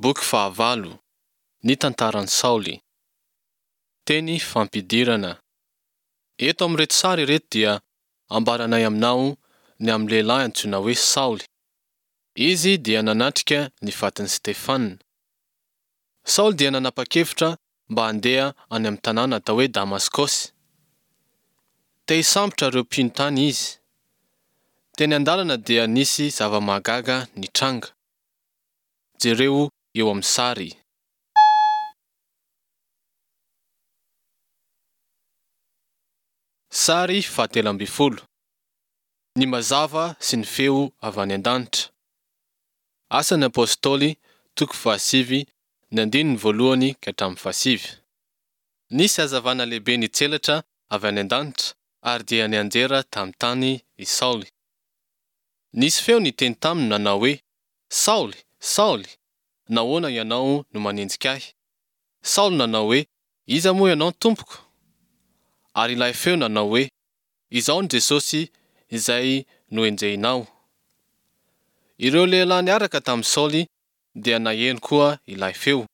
Boky fahavalo. Ny tantaran'i Saoly. Teny fampidirana. Eto amin'ireto sary ireto dia ambaranay aminao ny amin'ny lehilahy antsoina hoe Saoly. Izy dia nanatrika ny fatin'i Stefana. Saoly dia nanapa-kevitra mba handeha any amin'ny tanàna atao hoe Damaskosy. Te hisambotra ireo mpino tany izy. Teny an-dalana dia nisy zava-mahagaga nitranga. Jereo eo amin'ny sary. Sary fahatelo ambin'ny folo. Ny mazava sy ny feo avy any an-danitra. Asan'ny Apostoly, toko fahasivy, ny andininy voalohany ka hatramin'ny fahasivy. Nisy hazavana lehibe nitselatra avy any an-danitra ary dia nianjera tamin'ny tany i Saoly. Nisy feo niteny taminy nanao hoe, Saoly, Saoly, nahoana ianao no manenjika ahy? Saoly nanao hoe, Iza moa ianao, Tompoko? Ary ilay feo nanao hoe, Izaho no Jesosy izay nohenjehinao. Ireo lehilahy niaraka tamin'i Saoly dia naheno koa ilay feo,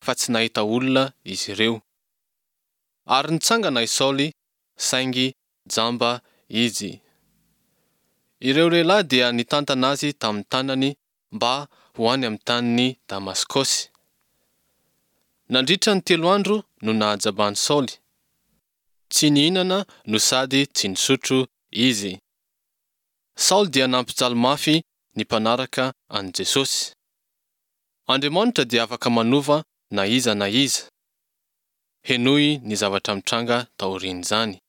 fa tsy nahita olona izy ireo. Ary nitsangana i Saoly, saingy jamba izy. Ireo lehilahy dia nitantana azy tamin'ny tanany mba ho any amin'ny tanin'i Damaskosy. Nandritra ny telo andro no nahajaban'i Saoly. Tsy nihinana no sady tsy nisotro izy. Saoly dia nampijaly mafy ny mpanaraka an'i Jesosy. Andriamanitra dia afaka manova na iza na iza. Henoy ny zavatra mitranga taorian'izany.